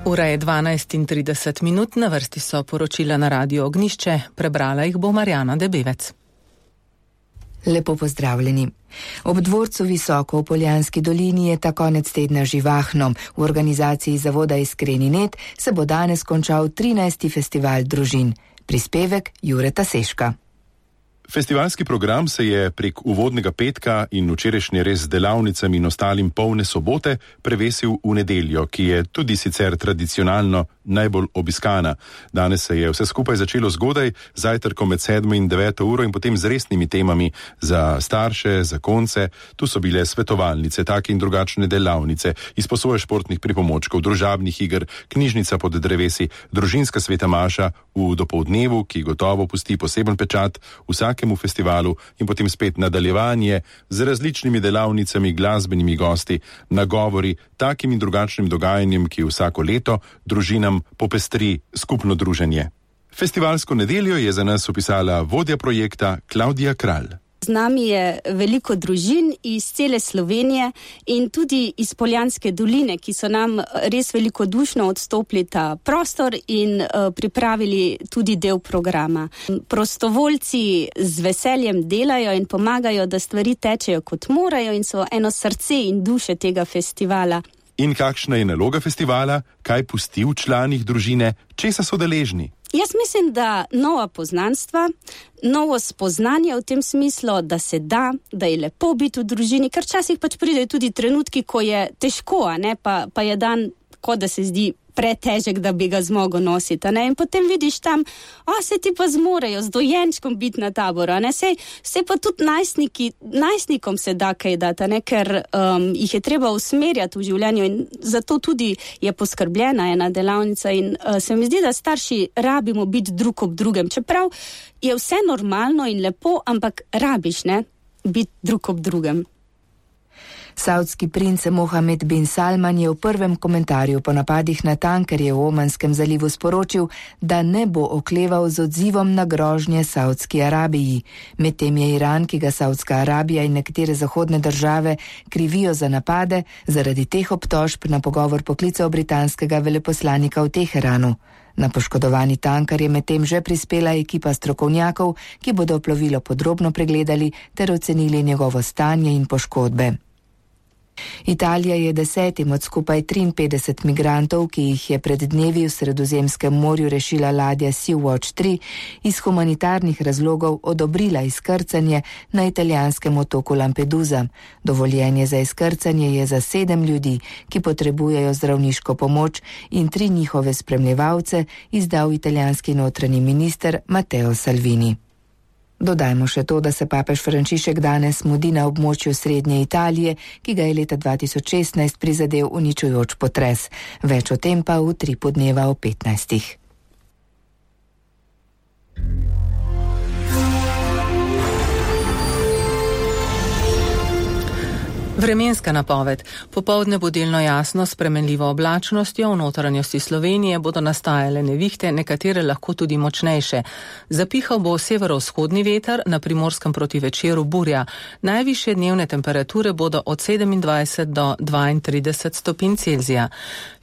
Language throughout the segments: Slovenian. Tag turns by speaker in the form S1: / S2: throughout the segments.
S1: Ura je 12:30, na vrsti so poročila na Radiu Ognjišče, prebrala jih bo Marjana Debevec.
S2: Lepo pozdravljeni. Ob dvorcu Visoko v Poljanski dolini je ta konec tedna živahno. V organizaciji zavoda Iskreni net se bo danes končal 13. festival družin. Prispevek Jureta Seška.
S3: Festivalski program se je prek uvodnega petka in včerajšnje res z delavnicami in ostalim polne sobote prevesil v nedeljo, ki je tudi sicer tradicionalno najbolj obiskana. Danes se je vse skupaj začelo zgodaj, zajtrkom med 7 in 9 uro in potem z resnimi temami za starše, za konce. Tu so bile svetovalnice, take in drugačne delavnice, izposoje športnih pripomočkov, družabnih iger, knjižnica pod drevesi, družinska sveta maša v dopoldnevu, ki gotovo pusti poseben pečat vsakemu festivalu, in potem spet nadaljevanje z različnimi delavnicami, glasbenimi gosti, nagovori, takim in drugačnim dogajanjem, ki vsako leto družinam popestri skupno druženje. Festivalsko nedeljo je za nas opisala vodja projekta Klavdija Kralj.
S4: Z nami je veliko družin iz cele Slovenije in tudi iz Poljanske doline, ki so nam res velikodušno odstopili ta prostor in pripravili tudi del programa. Prostovoljci z veseljem delajo in pomagajo, da stvari tečejo kot morajo in so eno srce in duše tega festivala.
S3: In kakšna je naloga festivala, kaj pusti v članih družine, česa so deležni?
S4: Jaz mislim, da nova poznanstva, novo spoznanje v tem smislu, da se da je lepo biti v družini, ker včasih pač pridejo tudi trenutki, ko je težko, pa je dan, kot da se zdi pretežek, da bi ga zmogel nositi, ne? In potem vidiš tam, se ti pa zmorejo z dojenčkom biti na taboru, ne? Sej pa tudi najstnikom se da kaj dati, ne? Ker jih je treba usmerjati v življenju in zato tudi je poskrbljena ena delavnica in se mi zdi, da starši rabimo biti drug ob drugem, čeprav je vse normalno in lepo, ampak rabiš, ne, biti drug ob drugem.
S2: Saudski princ Mohamed bin Salman je v prvem komentarju po napadih na tankerje v Omanskem zalivu sporočil, da ne bo okleval z odzivom na grožnje Saudski Arabiji. Medtem je Iran, ki ga Saudska Arabija in nekatere zahodne države krivijo za napade, zaradi teh obtožb na pogovor poklical britanskega veleposlanika v Teheranu. Na poškodovani tanker je medtem že prispela ekipa strokovnjakov, ki bodo plovilo podrobno pregledali ter ocenili njegovo stanje in poškodbe. Italija je 10 od skupaj 53 migrantov, ki jih je pred dnevi v Sredozemskem morju rešila ladja Sea-Watch 3, iz humanitarnih razlogov odobrila izkrcanje na italijanskem otoku Lampedusa. Dovoljenje za izkrcanje je za 7 ljudi, ki potrebujejo zdravniško pomoč, in 3 njihove spremljevalce izdal italijanski notranji minister Matteo Salvini. Dodajmo še to, da se papež Frančišek danes mudi na območju srednje Italije, ki ga je leta 2016 prizadel uničujoč potres. Več o tem pa v 3 podneva o 15.
S1: Vremenska napoved. Popoldne bo delno jasno, s spremenljivo oblačnostjo, v notranjosti Slovenije bodo nastajale nevihte, nekatere lahko tudi močnejše. Zapihal bo severovzhodni veter, na Primorskem proti večeru burja. Najvišje dnevne temperature bodo od 27 do 32 stopinj Celzija.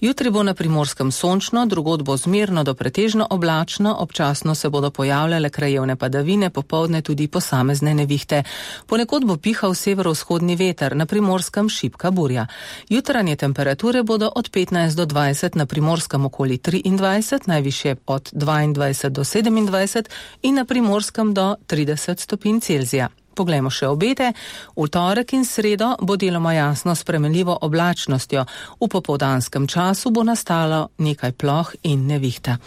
S1: Jutri bo na Primorskem sončno, drugod bo zmerno do pretežno oblačno, občasno se bodo pojavljale krajevne padavine, popoldne tudi posamezne nevihte. Ponekod bo pihal severovzhodni veter, na Primorskem šibka burja. Jutranje temperature bodo od 15 do 20, na Primorskem okoli 23, najvišje od 22 do 27 in na Primorskem do 30 stopinj Celzija. Poglejmo še obete. V torek in sredo bo deloma jasno s spremenljivo oblačnostjo. V popoldanskem času bo nastalo nekaj ploh in nevihta.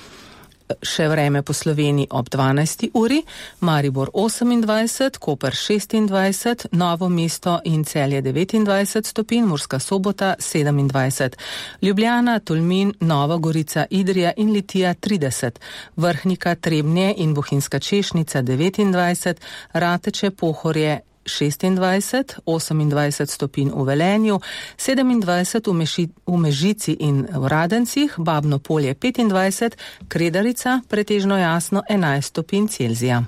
S1: Še vreme po Sloveniji ob 12. uri, Maribor 28, Koper 26, Novo mesto in Celje 29 stopinj, Murska Sobota 27, Ljubljana, Tolmin, Nova Gorica, Idrija in Litija 30, Vrhnika, Trebnje in Bohinjska Češnica 29, Rateče, Pohorje 26, 28 stopinj v Velenju, 27 v Mežici in v Radencih, Babno Polje 25, Kredarica pretežno jasno 11 stopinj Celzija.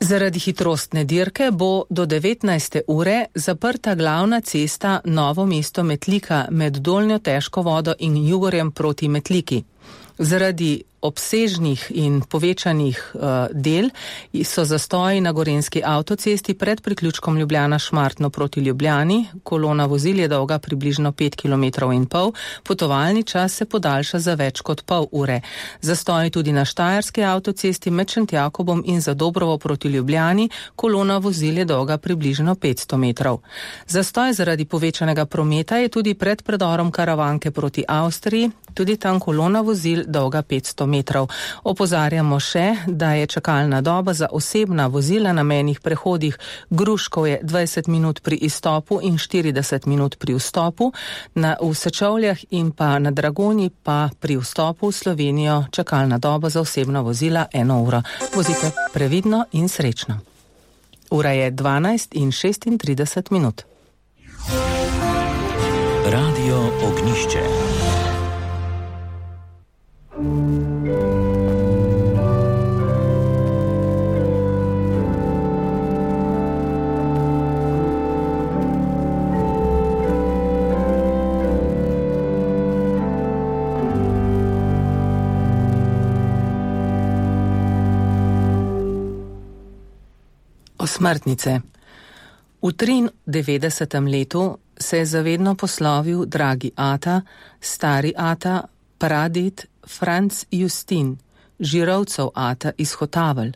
S1: Zaradi hitrostne dirke bo do 19. ure zaprta glavna cesta Novo mesto-Metlika med Dolnjo Težko vodo in Jugorjem proti Metliki. Zaradi obsežnih in povečanih del so zastoji na gorenjski avtocesti pred priključkom Ljubljana-Šmartno proti Ljubljani. Kolona vozil je dolga približno 5,5 km, potovalni čas se podaljša za več kot pol ure. Zastoji tudi na štajerski avtocesti med Šentjakobom in Zadobrovo proti Ljubljani. Kolona vozil je dolga približno 500 metrov. Zastoj zaradi povečanega prometa je tudi pred predorom Karavanke proti Avstriji, tudi tam kolona vozil dolga 500 metrov. Opozarjamo še, da je čakalna doba za osebna vozila na mejnih prehodih Gruškovje 20 minut pri izstopu in 40 minut pri vstopu, v Sečovljah in pa na Dragonji pa pri vstopu v Slovenijo čakalna doba za osebna vozila 1 uro. Vozite previdno in srečno. Ura je 12:36 minut.
S5: Radio Ognišče.
S1: Osmrtnice. V 93. letu se je zavedno poslovil dragi ata, stari ata, praded Franc Justin, Žirovcev ata iz Hotavelj.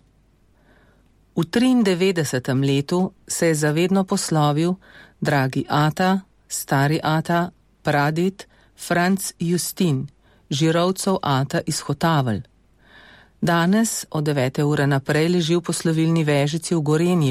S1: V 93. letu se je zavedno poslovil dragi ata, stari ata, praded Franc Justin, Žirovcev ata iz Hotavelj. Danes od 9. ure naprej leži v poslovilni vežici v Gorenji